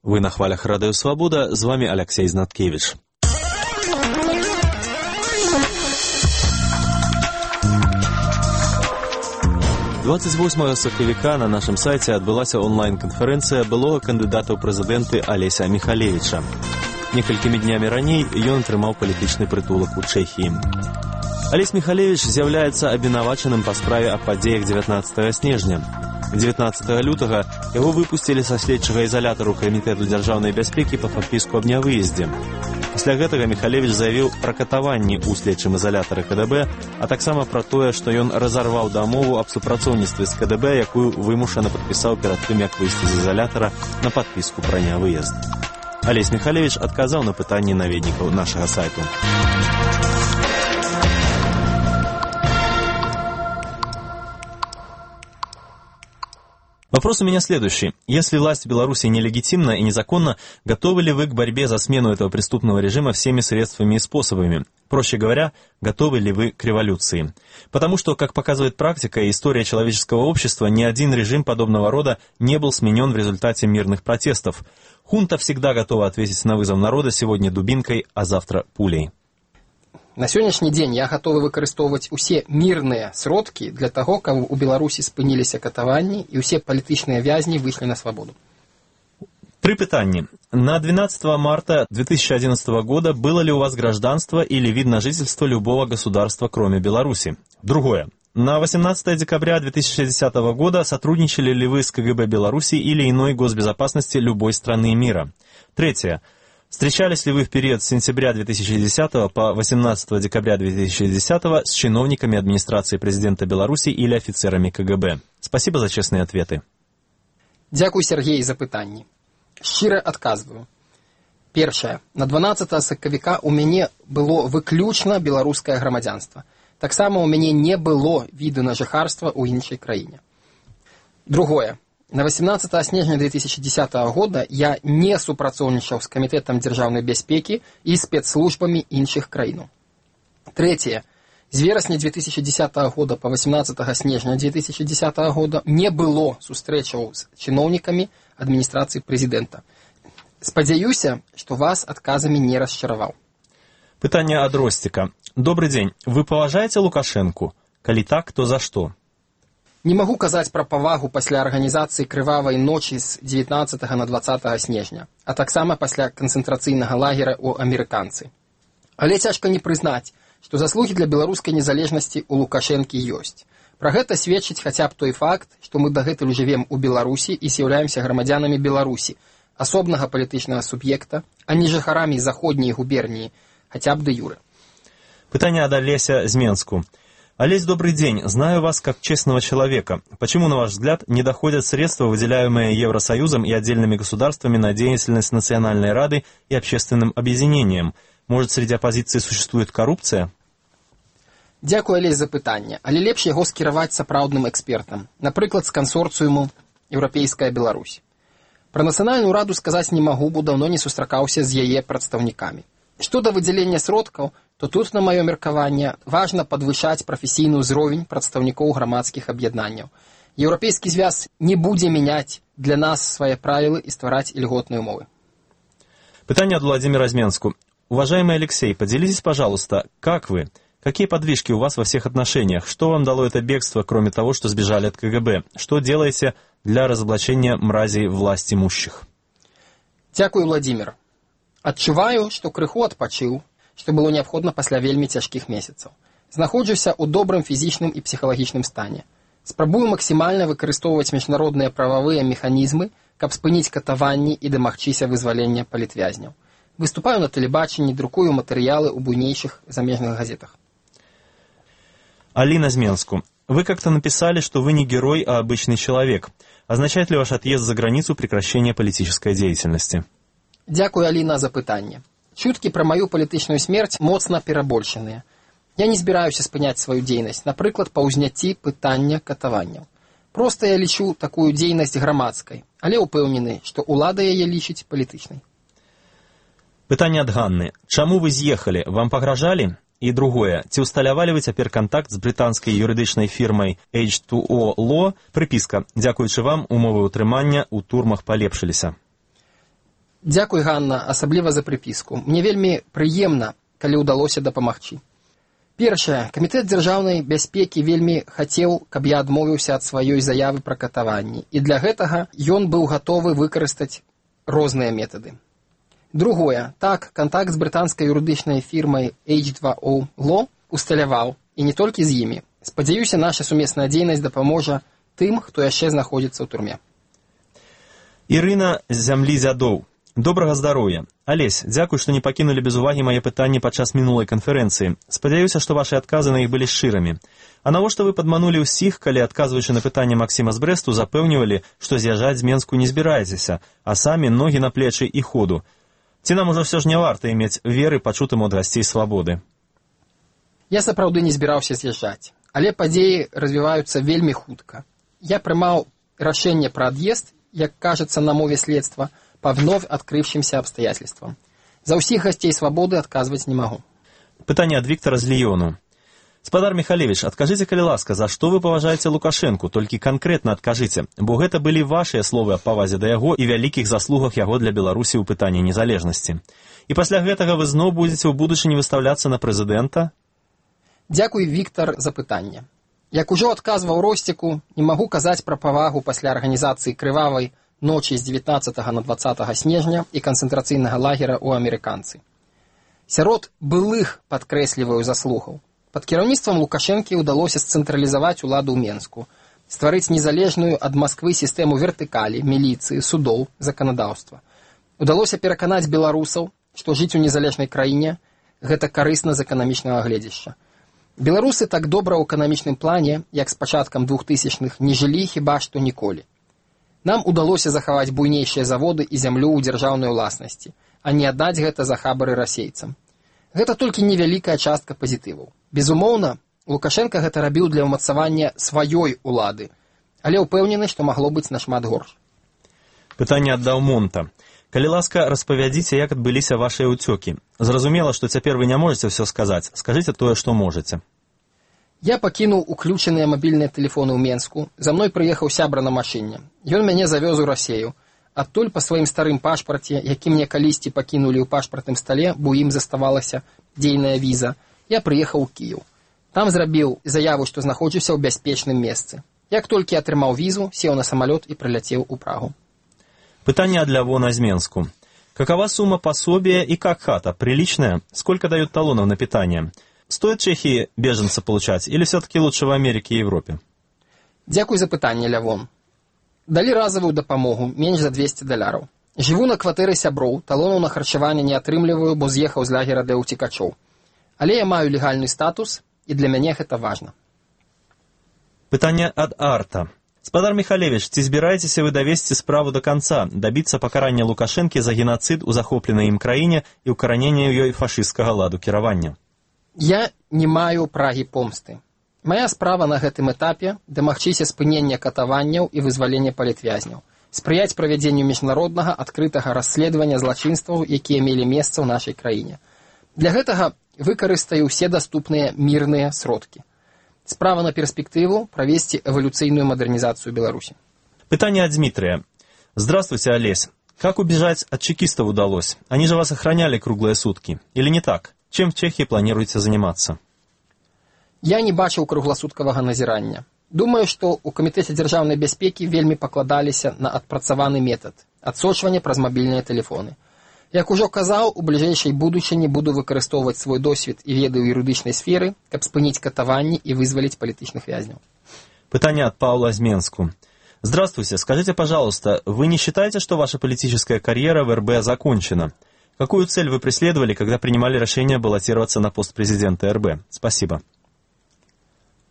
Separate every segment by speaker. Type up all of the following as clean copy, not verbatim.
Speaker 1: Вы на хвалях Радыё Свабода, з вами Алексей Знаткевич. Двадцять 28 сакавіка на нашым сайце адбылася онлайн-канферэнцыя былога кандыдата ў прэзідэнты Алеся Міхалевіча. Некалькімі днямі раней ён атрымаў палітычны прытулак у Чэхіі. Алесь Міхалевіч з'яўляецца абвінавачаным па справе аб падзеях 19 снежня. 19 лютага яго выпусцілі са следчага ізалятару Камітэту дзяржаўнай бяспекі па падпіску аб нявыездзе. Пасля гэтага Міхалевіч заявіў пра катаванні ў следчым ізалятары КДБ, а таксама пра тое, што ён разарваў дамову аб супрацоўніцтве з КДБ, якую вымушана падпісаў перад тым, як выйсці з ізалятара на падпіску пра нявыезд. Алесь Міхалевіч адказаў на пытанні наведнікаў нашага сайту. Вопрос у меня следующий. Если власть в Беларуси нелегитимна и незаконна, готовы ли вы к борьбе за смену этого преступного режима всеми средствами и способами? Проще говоря, готовы ли вы к революции? Потому что, как показывает практика и история человеческого общества, ни один режим подобного рода не был сменен в результате мирных протестов. Хунта всегда готова ответить на вызов народа сегодня дубинкой, а завтра пулей.
Speaker 2: На сённяшні дзень я гатовы выкарыстоўваць усе мірныя сродкі для таго, каб у Беларусі спыніліся катаванні і ўсе палітычныя вязні выйшлі на свабоду.
Speaker 1: Три пытанні. На 12 марта 2011 года было ли у вас гражданство или вид на жительство любого государства, кроме Беларуси? Другое. На 18 декабря 2060 года сотрудничали ли вы с КГБ Беларуси или иной госбезопасности любой страны мира? Третье. Встречались ли вы в период с сентября 2010 по 18 декабря 2010 с чиновниками администрации президента Беларуси или офицерами КГБ? Спасибо за честные ответы.
Speaker 2: Дякую, Сергей, за пытанні. Шчыра адказваю. Першае. На 12 сакавіка у мяне было выключна беларускае грамадзянства. Таксама у мяне не было віду на жыхарства ў іншай краіне. Другое. На 18 снежня 2010 года я не супрацоўнічаў з Камітэтам дзяржаўнай бяспекі і спецслужбамі іншых краінаў. Трэцяе. З верасня 2010 года по 18 снежня 2010 года не было сустрэчаў з чыноўнікамі адміністрацыі прэзідэнта. Спадзяюся, што вас адказамі не расчараваў.
Speaker 1: Пытанне ад Ростика. Добрый день. Вы паважаеце Лукашэнку? Калі так, то за што?
Speaker 2: Не магу казаць пра павагу пасля арганізацыі крывавай ночы з 19 на 20 снежня, а таксама пасля канцэнтрацыйнага лагера ў амерыканцы. Але цяжка не прызнаць, што заслугі для беларускай незалежнасці ў Лукашэнкі ёсць. Пра гэта сведчыць хаця б той факт, што мы дагэтуль жывем у Беларусі і з'яўляемся грамадзянамі Беларусі, асобнага палітычнага суб'екта, а не жыхарамі заходняй губерніі, хаця б дэ юрэ.
Speaker 1: Пытанне ад Алеся з Менску. Олесь, добрый день. Знаю вас как честного человека. Почему, на ваш взгляд, не доходят средства, выделяемые Евросоюзом и отдельными государствами на деятельность Национальной Рады и общественным объединениям? Может, среди оппозиции существует коррупция?
Speaker 2: Дякую, Олесь, за пытанне, але лепш яго скіраваць сапраўдным экспертам, напрыклад, з кансорцыуму «Еўрапейская Беларусь». Пра Нацыянальную Раду сказаць не магу, бо даўно не сустракаўся з яе прадстаўнікамі. Што да выдзялення сродкаў, то тут, на маё меркаванне, важна падвышаць прафесійны ўзровень прадстаўнікоў грамадскіх аб'яднанняў. Еўрапейскі звяз не будзе мяняць для нас свае правілы і ствараць ільготныя умовы.
Speaker 1: Пытание от Владимира Зменску. Уважаемый Алексей, поделитесь, пожалуйста, как вы? Какие подвижки у вас во всех отношениях? Что вам дало это бегство, кроме того, что сбежали от КГБ? Что делаете для разоблачения мразей власть имущих?
Speaker 2: Дякую, Владимир. Адчуваю, што крыху адпачыў, што было неабходна пасля вельмі цяжкіх месяцаў. Знаходжуся ў добрым фізічным і псіхалагічным стане. Спрабую максімальна выкарыстоўваць міжнародныя прававыя механізмы, каб спыніць катаванні і дамагчыся вызвалення палітвязняў. Выступаю на тэлебачанні, друкую матэрыялы ў буйнейшых замежных газетах.
Speaker 1: Алина Зменску. Вы как-то написали, что вы не герой, а обычный человек. Означает ли ваш отъезд за границу прекращение политической деятельности?
Speaker 2: Дякую, Аліна, за пытанне. Чуткі пра маю палітычную смерць моцна перабольшаныя. Я не збіраюся спыняць сваю дзейнасць, напрыклад, па ўзняцці пытання катаванняў. Проста я лічу такую дзейнасць грамадскай, але ўпэўнены, што ўлада яе лічыць палітычнай.
Speaker 1: Пытанне ад Ганны. Чаму вы з'ехалі? Вам пагражалі? І другое. Ці ўсталявалі вы цяпер кантакт з брытанскай юрыдычнай фірмай H2O Law? Прыпіска. Дзякуючы вам, умовы ўтрымання ў турмах палепшыліся.
Speaker 2: Дзякуй, Ганна, асабліва за прыпіску. Мне вельмі прыемна, калі ўдалося дапамагчы. Першае. Камітэт дзяржаўнай бяспекі вельмі хацеў, каб я адмовіўся ад сваёй заявы пра катаванні, і для гэтага ён быў гатовы выкарыстаць розныя метады. Другое. Так, кантакт з брытанскай юрыдычнай фірмай H2O Law усталяваў, і не толькі з імі. Спадзяюся, наша сумесная дзейнасць дапаможа тым, хто яшчэ знаходзіцца ў турме.
Speaker 1: Ірына з зямлі дзядоў. Добрага здароўя. Алесь, дзякуй, што не пакінулі без увагі мае пытанні падчас мінулай канферэнцыі. Спадзяюся, што вашы адказы на іх былі шчырамі. А навошта вы падманулі ўсіх, калі, адказваючы на пытанне Максіма з Брэсту, запэўнівалі, што з'язджаць з Менску не збіраецеся, а самі ногі на плечы і ходу. Ці нам ужо ўсё ж не варта мець веры пачутым ад гасцей свабоды?
Speaker 2: Я сапраўды не збіраўся з'язджаць, але падзеі развіваюцца вельмі хутка. Я прымаў рашэнне пра ад'езд, як кажется на мове следства, по вновь открывшимся обстоятельствам. За ўсіх гасцей свабоды адказваць не магу.
Speaker 1: Пытанне ад Віктара з Ліёну. Спадар Михалевич, адкажыце, калі ласка, за што вы паважаеце Лукашэнку, толькі канкрэтна адкажыце, бо гэта былі вашыя словы аб павазе да яго і вялікіх заслугах яго для Беларусі ў пытанні незалежнасці. І пасля гэтага вы зноў будзеце ў будучыні выстаўляцца на прэзідэнта?
Speaker 2: Дзякуй, Віктар, за пытанне. Як ужо адказваў Росціку, не магу казаць пра павагу пасля арганізацыі крывавай ночі з 19 на 20 снежня і канцэнтрацыйнага лагера ў амерыканцы. Сярод былых, падкрэсліваю, заслугаў. Пад кіраўніцтвам Лукашэнкі ўдалося сцэнтралізаваць уладу ў Менску, стварыць незалежную ад Масквы сістэму вертыкалі, міліцыі, судоў, заканадаўства. Удалося пераканаць беларусаў, што жыць у незалежнай краіне гэта карысна з эканамічнага гледзяшча. Беларусы так добра ў эканамічным плане, як з пачаткам 2000-х, не жылі хіба што ніколі. Нам удалося захаваць буйнейшыя заводы і зямлю ў дзяржаўнай уласнасці, а не аддаць гэта за хабары расейцам. Гэта толькі невялікая частка пазітываў. Безумоўна, Лукашенко гэта рабіў для ўмацавання сваёй улады, але ўпэўнены, што магло быць нашмат горш.
Speaker 1: Пытанне ад Даўмонта. Калі ласка, распавядзіце, як адбыліся вашыя ўцёкі. Зразумела, што цяпер вы не можаце ўсё сказаць. Скажыце тое, што можаце. Я пакінуў уключаныя мабільныя тэлефоны ў Менску. За мной прыехаў сябра на машыне. Ён мяне завёз у Расею. Адтуль па сваім старым пашпарце, які мне калісьці пакінулі ў пашпартным стале, бо ім заставалася дзейная віза, я прыехаў у Кіеў. Там зрабіў заяву, што знаходжуся ў бяспечным месцы. Як толькі атрымаў візу, сеў на самалёт і прыляцеў у Прагу. Пытанне ад Лявона з Менску. Какова сумма пособия и как хата? Приличная? Сколько дают талонов на питание? Стоит Чехии беженца получать или все-таки лучше в Америке и Европе?
Speaker 2: Дзякуй за пытанне, Лявон. Далі разовую дапамогу, менш за $200. Жыву на кватэры сяброў, талонаў на харчаванне не атрымліваю, бо з'ехаў з лагера для ўцекачоў. Але я маю легальны статус, і для мяне гэта важна.
Speaker 1: Пытанне ад Арта. Спадар Михалевич, ці збіраецеся вы давесці справу до конца, добіцца пакарання Лукашэнкі за геноцид у захопленай ім краіне і ўкаранення ў ёй фашысцкага ладу кіравання?
Speaker 2: Я не маю прагі помсты. Мая справа на гэтым этапе – дамагчыся спынення катаванняў і вызвалення палітвязняў, спрыяць правядзенню міжнароднага адкрытага расследавання злачынстваў, якія мелі месца ў нашай краіне. Для гэтага выкарыстаю ўсе даступныя мірныя сродкі. Справа на перспективу провести эволюционную модернизацию Беларуси.
Speaker 1: Пытание от Дмитрия. Здравствуйте, Олесь. Как убежать от чекистов удалось? Они же вас охраняли круглые сутки. Или не так? Чем в Чехии планируете заниматься?
Speaker 2: Я не бачыў кругласуткавага назірання. Думаю, што ў Камітэце дзяржаўнай бяспекі вельмі пакладаліся на адпрацаваны метад адсочвання праз мабільныя тэлефоны. Як ужо казаў, у бліжэйшай будучыні буду выкарыстоўваць свой досвед і веды ў юрыдычнай сферы, каб спыніць катаванні и вызволить политичных вязняў.
Speaker 1: Пытание от Павла из Менску. Здравствуйте, скажите, пожалуйста, вы не считаете, что ваша политическая карьера в РБ закончена? Какую цель вы преследовали, когда принимали решение баллотироваться на пост президента РБ? Спасибо.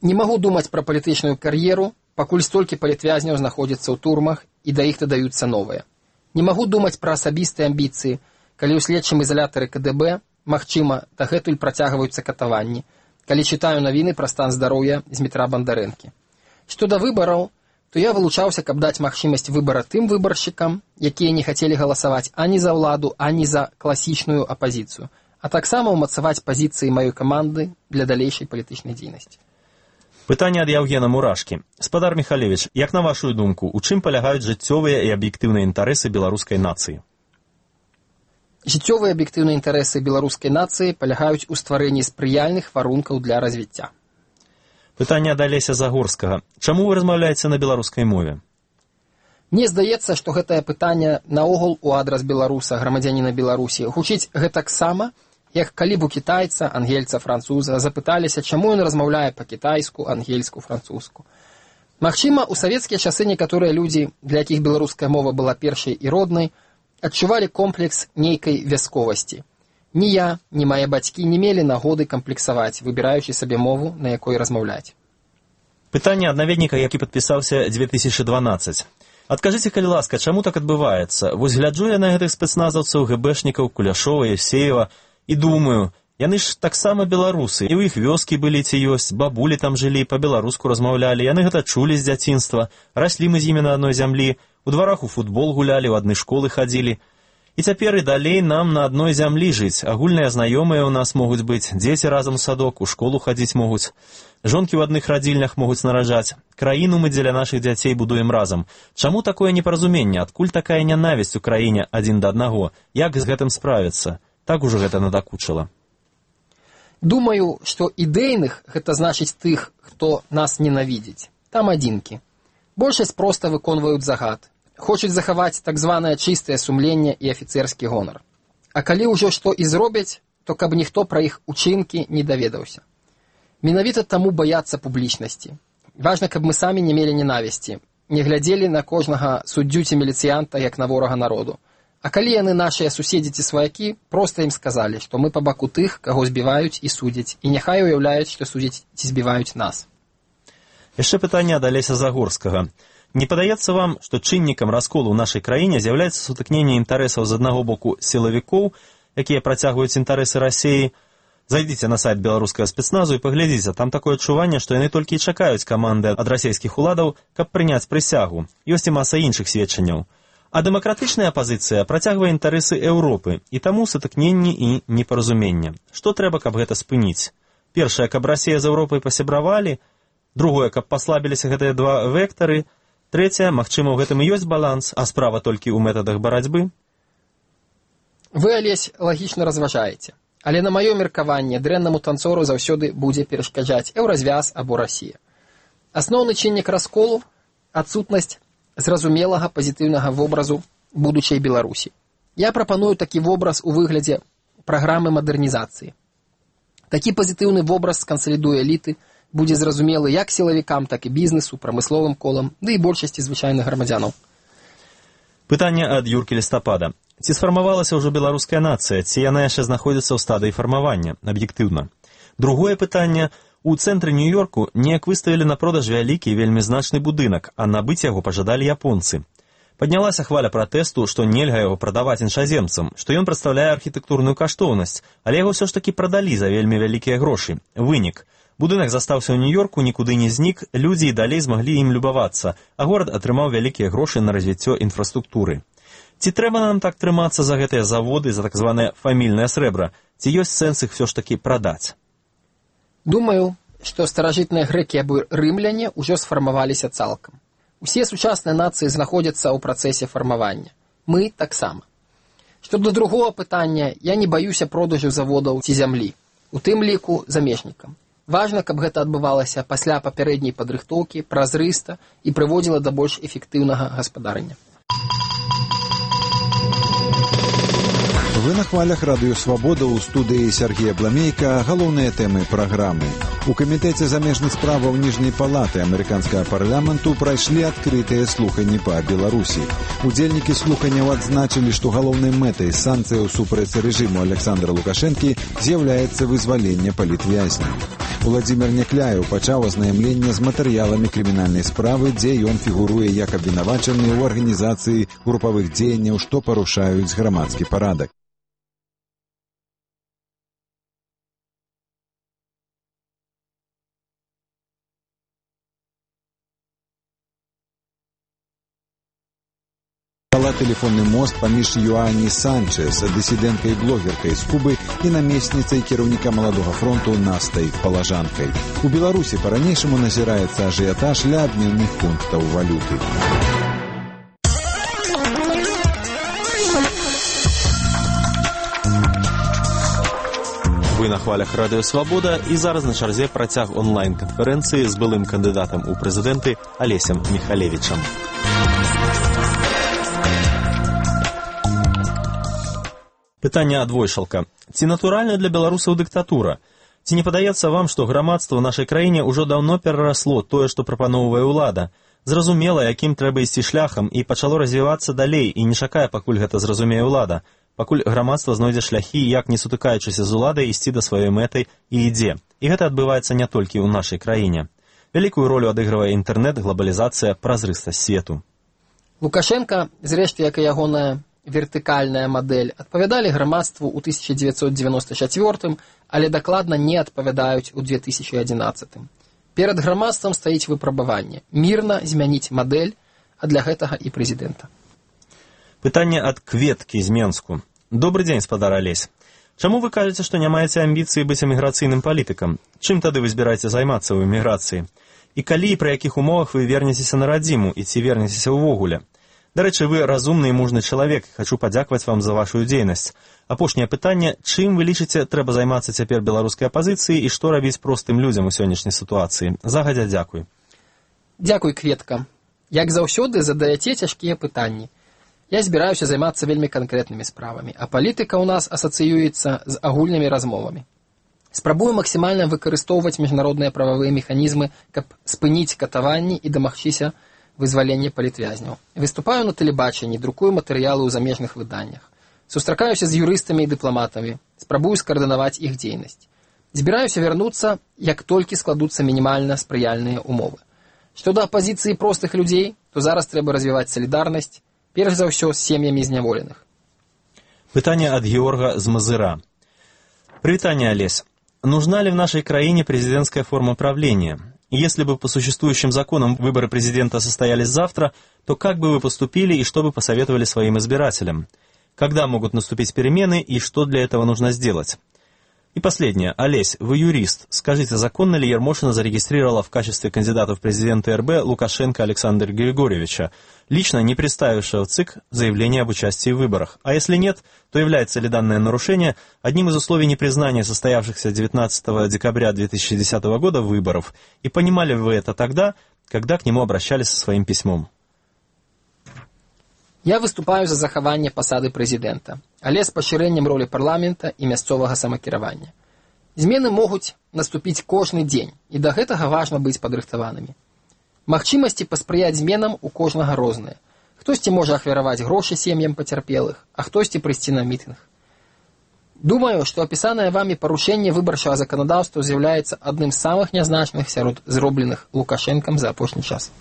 Speaker 2: Не могу думаць пра палітычную кар'еру, пакуль столькі палітвязняў знаходзяцца ў турмах і да іх дадаюцца новыя. Не могу думаць пра асабістыя амбіцыі, калі ў следчым изолятары КДБ, магчыма, дагэтуль працягваюцца катаванні, калі чытаю навіны пра стан здароўя Змітра Бандарэнкі. Што да выбараў, то я вылучаўся, каб даць магчымасць выбара тым выбаршчыкам, якія не хацелі галасаваць ані за ўладу, ані за класічную апазіцыю, а таксама ўмацаваць пазіцыі маёй каманды для далейшай палітычнай дзейнасці.
Speaker 1: Пытанне ад Яўгена Мурашкі. Спадар Михалевич, як на вашу думку, у чым палягаюць жыццёвыя і аб'ектыўныя інтарэсы беларускай нацыі?
Speaker 2: Жыццёвыя аб'ектыўныя інтарэсы беларускай нацыі палягаюць у стварэнні спрыяльных варункаў для развіцця.
Speaker 1: Пытанне ад Алеся Загорскага. Чаму вы размаўляеце на беларускай мове?
Speaker 2: Мне здаецца, што гэтае пытанне наогул у адрас беларуса, грамадзяніна Беларусі, гучыць гэтаксама, як калі б у кітайца, ангельца, француза запыталіся, чаму ён размаўляе па-кітайску, ангельску, французску. Магчыма, у савецкія часы некаторыя людзі, для якіх беларуская мова была першай і роднай, адчувалі комплекс нейкай вясковасці. Ні я, ні мае бацькі не мелі нагоды камплексаваць, выбіраючы сабе мову, на якой размаўляць.
Speaker 1: Пытанне ад наведніка, які падпісаўся 2012. Адкажыце, калі ласка, чаму так адбываецца? Вось гляджу я на гэтых спецназаўцаў, гэбэшнікаў, Куляшова, Евсеева і думаю, яны ж таксама беларусы, і ў іх вёскі былі ці ёсць, бабулі там жылі, па-беларуску размаўлялі, яны гэта чулі з дзяцінства, раслі мы з імі на адной зямлі, у дварах у футбол гулялі, у адны школы хадзілі. І цяпер і далей нам на адной зямлі жыць. Агульныя знаёмыя ў нас могуць быць, дзеці разам у садок, у школу хадзіць могуць. Жонкі ў адных радзільнях могуць нараджаць. Краіну мы дзеля нашых дзяцей будуем разам. Чаму такое непаразуменне? Адкуль такая нянавісць у краіне адзін да аднаго? Як з гэтым справіцца? Так ужо гэта надакучыла.
Speaker 2: Думаю, што ідэйных гэта значыць тых, хто нас ненавідзіць. Там адзінкі. Большасць проста выконваюць загад. Хочуць захаваць так званае чыстае сумленне і афіцэрскі гонар. А калі ўжо што і зробяць, то каб ніхто пра іх учынкі не даведаўся. Менавіта таму баяцца публічнасці. Важна, каб мы самі не мелі ненавісці, не глядзелі на кожнага суддзю ці міліцыянта як на ворага народу. А калі яны нашыя суседзі ці сваякі, проста ім сказалі, што мы па баку тых, каго збіваюць і судзяць, і няхай уяўляюць, што судзяць ці збіваюць нас.
Speaker 1: Яшчэ пытанне ад Алеся Загорскага. Не падаецца вам, што чыннікам расколу ў нашай краіне з'яўляецца сутыкненне інтарэсаў з аднаго боку сілавікоў, якія працягваюць інтарэсы Расіі? Зайдзіце на сайт беларускага спецназу і паглядзіце, там такое адчуванне, што яны толькі і чакаюць каманды ад расійскіх уладаў, каб прыняць прысягу. Ёсць і маса іншых сведчанняў. А дэмакратычная апазіцыя працягвае інтарэсы Еўропы, і таму сутыкненні і непаразуменне. Што трэба, каб гэта спыніць? Першае, каб Расія з Еўропай пасябравалі, другое, каб паслабіліся гэтыя два вектары, трэцяе, магчыма, у гэтым і ёсць баланс, а справа толькі ў метадах барацьбы.
Speaker 2: Вы, Алесь, лагічна разважаеце, але на маё меркаванне дрэннаму танцору заўсёды будзе перашкаджаць еўразвяз або Расія. Асноўны чыннік расколу – адсутнасць зразумелага пазітыўнага вобразу будучай Беларусі. Я прапаную такі вобраз у выглядзе праграмы мадэрнізацыі. Такі пазітыўны вобраз скансалідуе эліты, будзе зразумелы як сілавікам, так і бізнесу, прамысловым колам, ды і большасці звычайных грамадзянаў.
Speaker 1: Пытанне ад Юркі Лістапада. Ці сфармавалася ўжо беларуская нацыя, ці яна яшчэ знаходзіцца ў стадыі фармавання, аб'ектыўна? Другое пытанне. У цэнтры Нью-Йорку неяк выставілі на продаж вялікі і вельмі значны будынак, а набыць яго пажадалі японцы. Паднялася хваля пратэсту, што нельга яго прадаваць іншаземцам, што ён прадстаўляе архітэктурную каштоўнасць, але яго ўсё ж такі прадалі за вельмі вялікія грошы. Вынік. Будынак застаўся ў Нью-Йорку, нікуды не знік, людзі і далей змаглі ім любавацца, а горад атрымаў вялікія грошы на развіццё інфраструктуры. Ці трэба нам так трымацца за гэтыя заводы, за так званае фамільнае срэбра? Ці ёсць сэнс іх ўсё ж такі прадаць?
Speaker 2: Думаю, што старажытныя грэкі або рымляне ўжо сфармаваліся цалкам. Усе сучасныя нацыі знаходзяцца ў працэсе фармавання. Мы таксама. Што да другого пытання, я не баюся продажу заводаў ці зямлі, у тым ліку замежнікам. Важна, каб гэта адбывалася пасля папярэдняй падрыхтоўкі, празрыста і прыводзіла да больш эфектыўнага гаспадарання.
Speaker 3: Вы на хвалях Радыё Свабода, у студыі Сергея Бламейка. Галоўныя тэмы праграмы. У камітэце замежных справаў Ніжняй палаты амерыканскага парламенту прайшлі адкрытыя слуханні па Беларусі. Удзельнікі слуханняў адзначылі, што галоўнай мэтай санкцыяў супраць рэжыму Александра Лукашэнкі з'яўляецца вызваленне палітвязняў. Уладзімір Някляеў пачаў азнаямленне з матэрыяламі крымінальнай справы, дзе ён фігуруе як абвінавачаны ў арганізацыі групавых дзеянняў, што парушаюць грамадскі парадак. Тэлефонны мост паміж Юані Санчес, дысідэнткай блогеркай з Кубы і намесніцай кіраўніка Маладога фронту Настай Палажанкай. У Беларусі па-ранейшаму назіраецца ажыятаж ля абменных пунктаў валюты.
Speaker 1: на хвалях Радыё Свабода, і зараз на чарзе працяг онлайн-канферэнцыі з былым кандыдатам у прэзідэнты Алесем Міхалевічам. Пытанне ад Войшалка. Ці натуральна для беларусаў дыктатура? Ці не падаецца вам, што грамадства ў нашай краіне ўжо даўно перарасло тое, што прапаноўвае ўлада? Зразумела, якім трэба ісці шляхам, і пачало развівацца далей, і не чакае, пакуль гэта зразумее ўлада. Пакуль грамадства знойдзе шляхі, як не сутыкаючыся з уладай, ісці да сваёй мэты і ідзе. І гэта адбываецца не толькі ў нашай краіне. Вялікую ролю адыгрывае інтэрнэт, глобалізацыя, празрыстасць свету.
Speaker 2: Лукашенко, зрэшты, як і ягоная вертыкальная мадэль, адпавядалі грамадству ў 1994, але дакладна не адпавядаюць у 2011. Перад грамадствам стаіць выпрабаванне. Мірна змяніць мадэль, а для гэтага і прэзідэнта.
Speaker 1: Пытанне ад Кветкі з Менску. Добры дзень, спадар Алесь. Чаму вы кажаце, што не маеце амбіцыі быць эміграцыйным палітыкам? Чым тады вы збіраеце займацца ў эміграцыі? І калі і пры якіх умовах вы вернецеся на радзіму, і ці вернецеся ўвогуле? Дарэчы, вы разумны і мужны чалавек, хачу падзякаваць вам за вашу дзейнасць. Апошняе пытанне, чым вы лічыце, трэба займацца цяпер беларускай апазіцыі і што рабіць простым людзям у сённяшняй сітуацыі? Загадзя дзякуй.
Speaker 2: Дзякуй, Кветка. Як заўсёды задаяце цяжкія пытанні. Я збіраюся займацца вельмі канкрэтнымі справамі, а палітыка ў нас асацыюецца з агульнымі размовамі. Спрабую максімальна выкарыстоўваць міжнародныя прававыя механізмы, каб спыніць катаванні і дамагчыся вызвалення палітвязняў. Выступаю на тэлебачанні, друкую матэрыялы ў замежных выданнях. Сустракаюся з юрыстамі і дыпламатамі, спрабую скаардынаваць іх дзейнасць. Збіраюся вярнуцца, як толькі складуцца мінімальна спрыяльныя умовы. Што да апазіцыі простых людзей, то зараз трэба развіваць салідарнасць, перш за ўсё з сем'ямі зняволеных.
Speaker 1: Пытанне ад Георга з Мазыра. Привитание, Олесь. Нужна ли в нашей краине президентская форма правления? Если бы по существующим законам выборы президента состоялись завтра, то как бы вы поступили и что бы посоветовали своим избирателям? Когда могут наступить перемены и что для этого нужно сделать? И последнее. Олесь, вы юрист. Скажите, законно ли Ермошина зарегистрировала в качестве кандидата в президенты РБ Лукашенко Александра Григорьевича, лично не представившего в ЦИК заявление об участии в выборах? А если нет, то является ли данное нарушение одним из условий непризнания состоявшихся 19 декабря 2010 года выборов? И понимали вы это тогда, когда к нему обращались со своим письмом?
Speaker 2: Я выступаю за захаванне пасады прэзідэнта, але з пашырэннем ролі парламента і мясцовага самакіравання. Змены могуць наступіць кожны дзень, і да гэтага важна быць падрыхтаванымі. Магчымасці паспрыяць зменам у кожнага розныя. Хтосьці можа ахвяраваць грошы сем'ям пацярпелых, а хтосьці прыйсці на мітынг. Думаю, што апісанае вамі парушэнне выбарчага заканадаўства з'яўляецца адным з самых нязначных сярод зробленых Лукашэнкам за апошні час.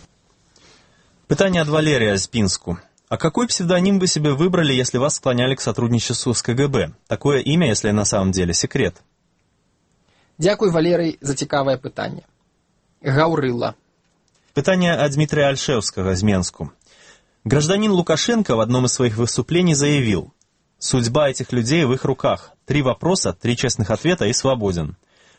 Speaker 1: Пытанне ад Валерія з Пінску. А какой псевдоним вы себе выбрали, если вас склоняли к сотрудничеству с КГБ? Такое имя, если на самом деле секрет.
Speaker 2: Дзякуй, Валерый, за цікавае пытанне. Гаўрыла.
Speaker 1: Пытанне от Дмитрия Альшевского из Менску. Гражданин Лукашенко в одном из своих выступлений заявил: «Судьба этих людей в их руках. 3 вопроса, 3 честных ответа и свободен».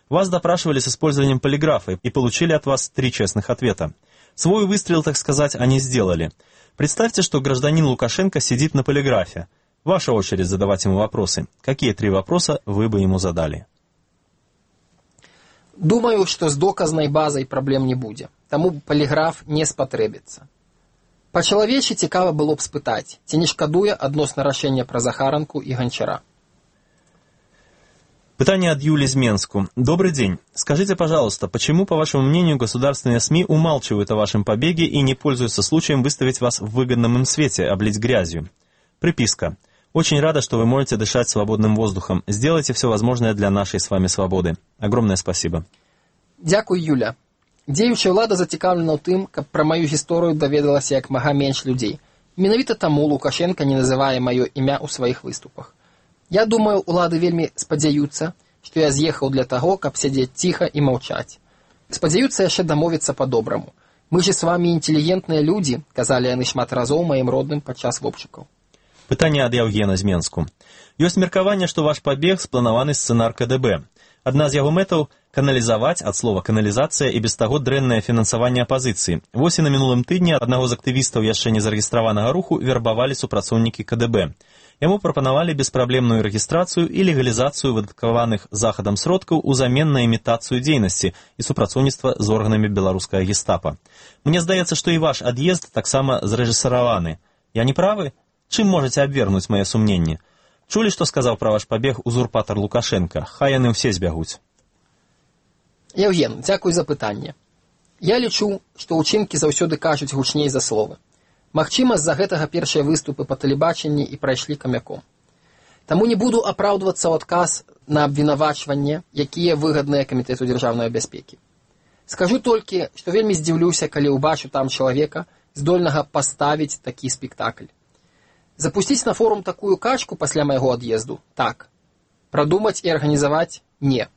Speaker 1: Вас допрашивали с использованием полиграфа и получили от вас 3 честных ответа. Свой выстрел, так сказать, они сделали. Представьте, что гражданин Лукашенко сидит на полиграфе. Ваша очередь задавать ему вопросы. Какие 3 вопроса вы бы ему задали?
Speaker 2: Думаю, што з доказнай базай праблем не будзе, таму паліграф не спатрэбіцца. Па-чалавечы цікава было б спытаць, ці не шкадуе адносна рашэння пра Захаранку і Гончара.
Speaker 1: Пытание от Юли из Менску. Добрый день. Скажите, пожалуйста, почему, по вашему мнению, государственные СМИ умалчивают о вашем побеге и не пользуются случаем выставить вас в выгодном им свете, облить грязью? Приписка. Очень рада, что вы можете дышать свободным воздухом. Сделайте все возможное для нашей с вами свободы. Огромное спасибо.
Speaker 2: Дзякуй, Юля. Дзеючая ўлада зацікаўлена ў тым, каб пра маю гісторыю даведалася як мага менш людзей. Менавіта таму Лукашенко не называе маё імя ў сваіх выступах. Я думаю, улады вельмі спадзяюцца, што я з'ехаў для таго, каб сядзець ціха і маўчаць. Спадзяюцца яшчэ дамовіцца па-добраму. Мы же с вами інтэлігентныя людзі, казалі яны шмат разоў маім родным падчас вопчыкаў.
Speaker 1: Пытанне ад Яўгена з Менску. Ёсць меркаванне, што ваш пабег спланаваны сцэнар КДБ. Адна з яго мэтаў – каналізаваць, ад слова каналізацыя, і без таго дрэннае фінансаванне апазіцыі. Вось і на мінулым тыдні аднаго з актывістаў яшчэ не зарэгістраванага руху вербавалі супрацоўнікі КДБ. Яму прапанавалі беспраблемную рэгістрацыю і легалізацыю выдаткаваных захадам сродкаў узамен на імітацыю дзейнасці і супрацоўніцтва з органамі беларускага гестапа. Мне здаецца, што і ваш ад'езд таксама зрэжысараваны. Я не правы? Чым можаце абвергнуць мае сумненні? Чулі, што сказаў пра ваш пабег узурпатар Лукашенка? Хай яны ўсе збягуць.
Speaker 2: Евген, дзякуй за пытанне. Я лічу, што ўчынкі заўсёды кажуць гучней за словы. Магчыма, з-за гэтага першыя выступы па тэлебачанні і прайшлі камяком. Таму не буду апраўдвацца ў адказ на абвінавачванне, якія выгадныя камітэту дзяржаўнай бяспекі. Скажу толькі, што вельмі здзіўлюся, калі ўбачу там чалавека, здольнага паставіць такі спектакль. Запусціць на форум такую качку пасля майго ад'езду? Так. Прадумаць і арганізаваць? Не.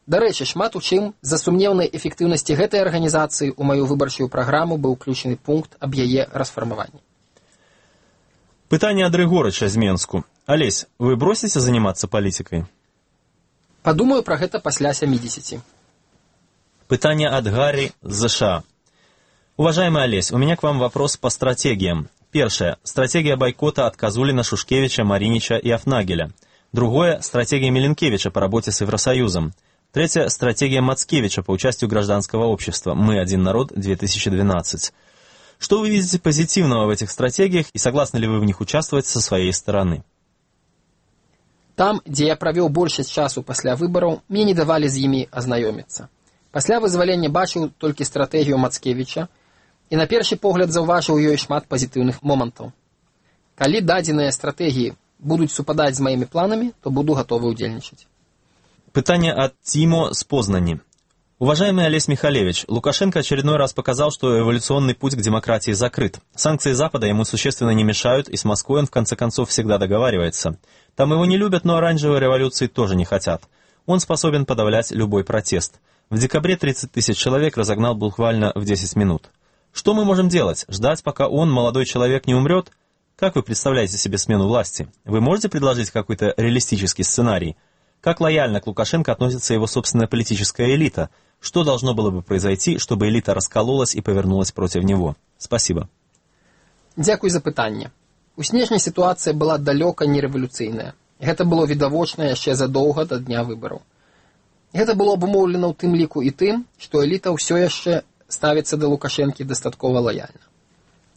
Speaker 2: Дарэчы, шмат у чым з-за сумнеўнай эфектыўнасці гэтай арганізацыі ў маю выбарчую праграму быў уключаны пункт аб яе расфармаванні.
Speaker 1: Пытанне ад Рыгорыча з Менску. Алесь, вы бросіце заниматься палітыкай?
Speaker 2: Падумаю пра гэта пасля 70.
Speaker 1: Пытанне от Гарри з США. Уважаемый Олесь, у меня к вам вопрос по стратегиям. Первое. Стратегия бойкота от Козулина, Шушкевича, Маринича и Афнагеля. Другое. Стратегия Миленкевича по работе с Евросоюзом. Третье. Стратегия Мацкевича по участию гражданского общества. «Мы один народ» 2012. Что вы видите позитивного в этих стратегиях и согласны ли вы в них участвовать со своей стороны?
Speaker 2: Там, дзе я правёў большасць часу пасля выбараў, мне не давалі з імі азнаёміцца. Пасля вызвалення бачыў толькі стратэгію Мацкевіча і на першы погляд заўважыў ёй шмат пазітыўных момантаў. Калі дадзеныя стратэгіі будуць супадаць з маімі планамі, то буду гатовы ўдзельнічаць.
Speaker 1: Пытание от Тимо с Познани. Уважаемый Олесь Михалевич, Лукашенко очередной раз показал, что эволюционный путь к демократии закрыт. Санкции Запада ему существенно не мешают, и с Москвой он в конце концов всегда договаривается. Там его не любят, но оранжевой революции тоже не хотят. Он способен подавлять любой протест. В декабре 30 тысяч человек разогнал буквально в 10 минут. Что мы можем делать? Ждать, пока он, молодой человек, не умрет? Как вы представляете себе смену власти? Вы можете предложить какой-то реалистический сценарий? Как лояльно к Лукашенко относится его собственная политическая элита? Что должно было бы произойти, чтобы элита раскололась и повернулась против него? Спасибо.
Speaker 2: Дзякуй за пытанне. У снежні сітуацыя была далёка не рэвалюцыйная. Гэта было відавочна яшчэ задоўга да дня выбараў. Гэта было абумоўлена ў тым ліку і тым, што эліта ўсё яшчэ ставіцца да Лукашэнкі дастаткова лаяльна.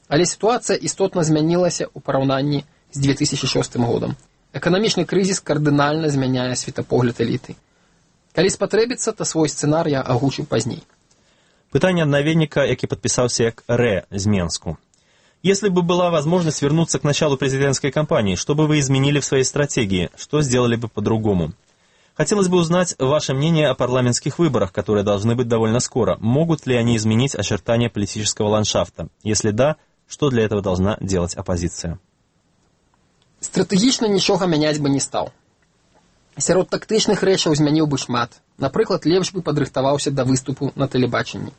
Speaker 2: Але сітуацыя істотна змянілася ў параўнанні з 2006 годам. Эканамічны крызіс кардынальна змяняе светапогляд эліты. Калі спатрэбіцца, то свой сцэнар я агучу пазней.
Speaker 1: Пытанне ад наведніка, які падпісаўся як Рэ з Менску. Если бы была возможность вернуться к началу президентской кампании, что бы вы изменили в своей стратегии? Что сделали бы по-другому? Хотелось бы узнать ваше мнение о парламентских выборах, которые должны быть довольно скоро. Могут ли они изменить очертания политического ландшафта? Если да, что для этого должна делать оппозиция?
Speaker 2: Стратэгічна нічога мяняць бы не стаў. Сярод тактычных рэчаў змяніў бы шмат. Напрыклад, лепш бы падрыхтаваўся да выступу на тэлебачанні.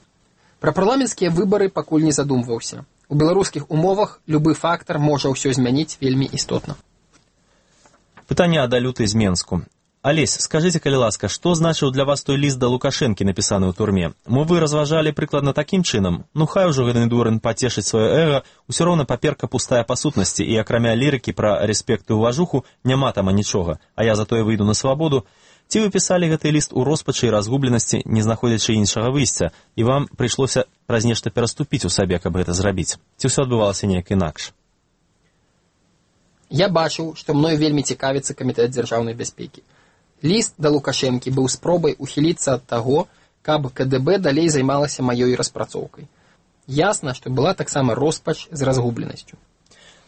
Speaker 2: Пра парламенцкія выбары пакуль не задумваўся. У беларускіх умовах любы фактор можа ўсё змяніць вельмі істотна.
Speaker 1: Пытанне ад Алюты з Менску. Олесь, скажите, калі ласка, што значыў для вас той ліст да Лукашэнкі, напісаны ў турме? Мо вы разважалі прыкладна такім чынам? Ну хай ужо гэты дурань пацешыць сваё эго, усё роўна паперка пустая па сутнасці, і акрамя лірыкі пра рэспект і ўважуху няма тама нічога, а я затое выйду на свабоду. Ці вы пісалі гэты ліст у роспачы і разгубленасці, не знаходзячы іншага выйсця, і вам прыйшлося праз нешта пераступіць у сабе, каб гэта зрабіць? Ці ўсё адбывалася неяк інакш?
Speaker 2: Я бачыў, што мною вельмі цікавіцца камітэт дзяржаўнай бяспекі. Ліст да Лукашэнкі быў спробай ухіліцца ад таго, каб КДБ далей займалася маёй распрацоўкай. Ясна, што была таксама роспач з разгубленасцю.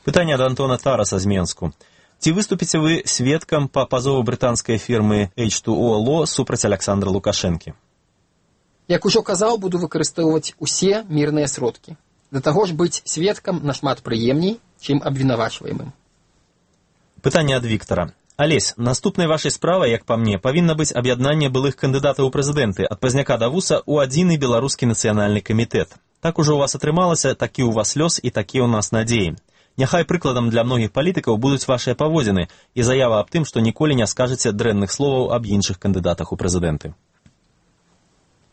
Speaker 1: Пытанне ад Антона Тараса з Менску. Ці выступіце вы сведкам па пазову брытанскай фірмы H2O Law супраць Александра Лукашэнкі?
Speaker 2: Як ужо казаў, буду выкарыстоўваць усе мірныя сродкі. Да таго ж быць сведкам нашмат прыемней, чым абвінавачваемым.
Speaker 1: Пытанне ад Віктара. Олесь, наступнай вашай справай, як па мне, павінна быць аб'яднанне былых кандыдатаў у прэзідэнты ад пазняка да вуса ў адзіны беларускі нацыянальны камітэт. Так ужо у вас атрымалася, такі ў вас лёс і такія ў нас надзеі. Няхай прыкладам для многіх палітыкаў будуць вашыя паводзіны і заява аб тым, што ніколі не скажаце дрэнных словаў аб іншых кандыдатах у прэзідэнты.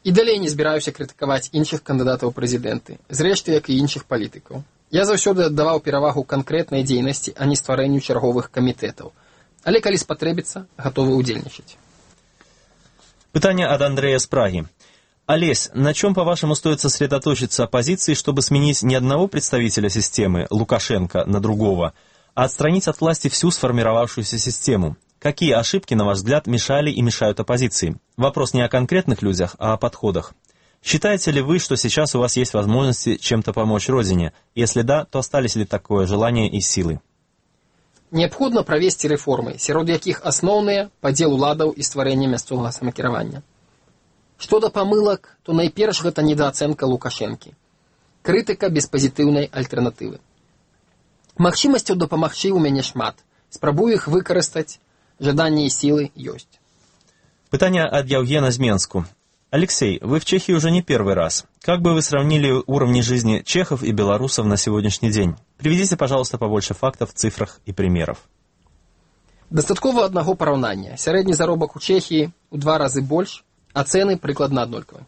Speaker 2: І далей не збіраюся крытыкаваць іншых кандыдатаў у прэзідэнты, зрэшты, як і іншых палітыкаў. Я заўсёды аддаваў перавагу канкрэтнай дзейнасці, а не стварэнню чарговых камітэтаў. Але калі спатрэбіцца, гатовы ўдзельнічаць.
Speaker 1: Пытание от Андрея с Праги. Олесь, на чем, по-вашему, стоит сосредоточиться оппозиции, чтобы сменить не одного представителя системы, Лукашенко, на другого, а отстранить от власти всю сформировавшуюся систему? Какие ошибки, на ваш взгляд, мешали и мешают оппозиции? Вопрос не о конкретных людях, а о подходах. Считаете ли вы, что сейчас у вас есть возможности чем-то помочь Родине? Если да, то остались ли такое желание и силы?
Speaker 2: Неабходна правесці рэформы, сярод якіх асноўныя падзел уладаў і стварэнне мясцовага самакіравання. Што да памылак, то найперш гэта недаацэнка Лукашэнкі. Крытыка без пазітыўнай альтэрнатывы. Магчымасцяў дапамагчы ў мяне шмат. Спрабую іх выкарыстаць, жаданне і сілы ёсць.
Speaker 1: Пытание от Евгена Зменску. Алексей, вы в Чехии уже не первый раз. Как бы вы сравнили уровни жизни чехов и белорусов на сегодняшний день? Приведите, пожалуйста, побольше фактов, цифрах и примеров.
Speaker 2: Дастаткова аднаго параўнання. Сярэдні заробак у Чехії ў 2 разы больш, а цены прыкладна аднолькавыя.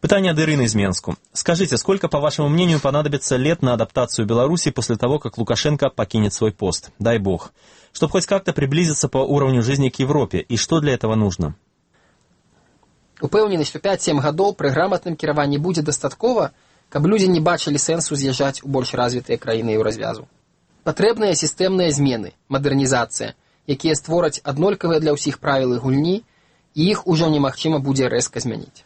Speaker 1: Пытание от Ирины из Менску. Скажите, сколько, по вашему мнению, понадобится лет на адаптацию Беларуси после того, как Лукашенко покинет свой пост? Дай бог. Чтобы хоть как-то приблизиться по уровню жизни к Европе. И что для этого нужно?
Speaker 2: Упэўнены, што 5-7 гадоў пры граматным кіраванні будзе дастаткова, каб людзі не бачылі сэнсу з'язджаць у больш развітыя краіны еўразвязу. Патрэбныя сістэмныя змены, мадэрнізацыя, якія створаць аднолькавыя для ўсіх правілы гульні, і іх ужо немагчыма будзе рэзка змяніць.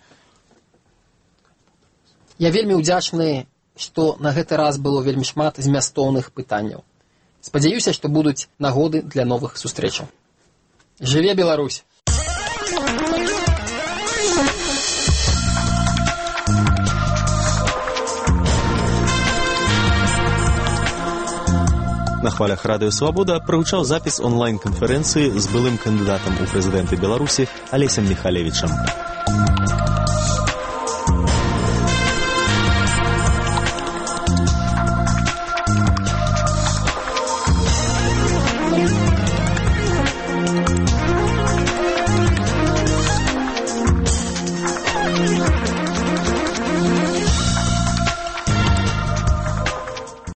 Speaker 2: Я вельмі ўдзячны, што на гэты раз было вельмі шмат змястоўных пытанняў. Спадзяюся, што будуць нагоды для новых сустрэчаў. Жыве Беларусь!
Speaker 1: На хвалях Радыё Свабода прагучаў запіс онлайн-канферэнцыі з былым кандыдатам у прэзідэнты Беларусі Алесем Міхалевічам.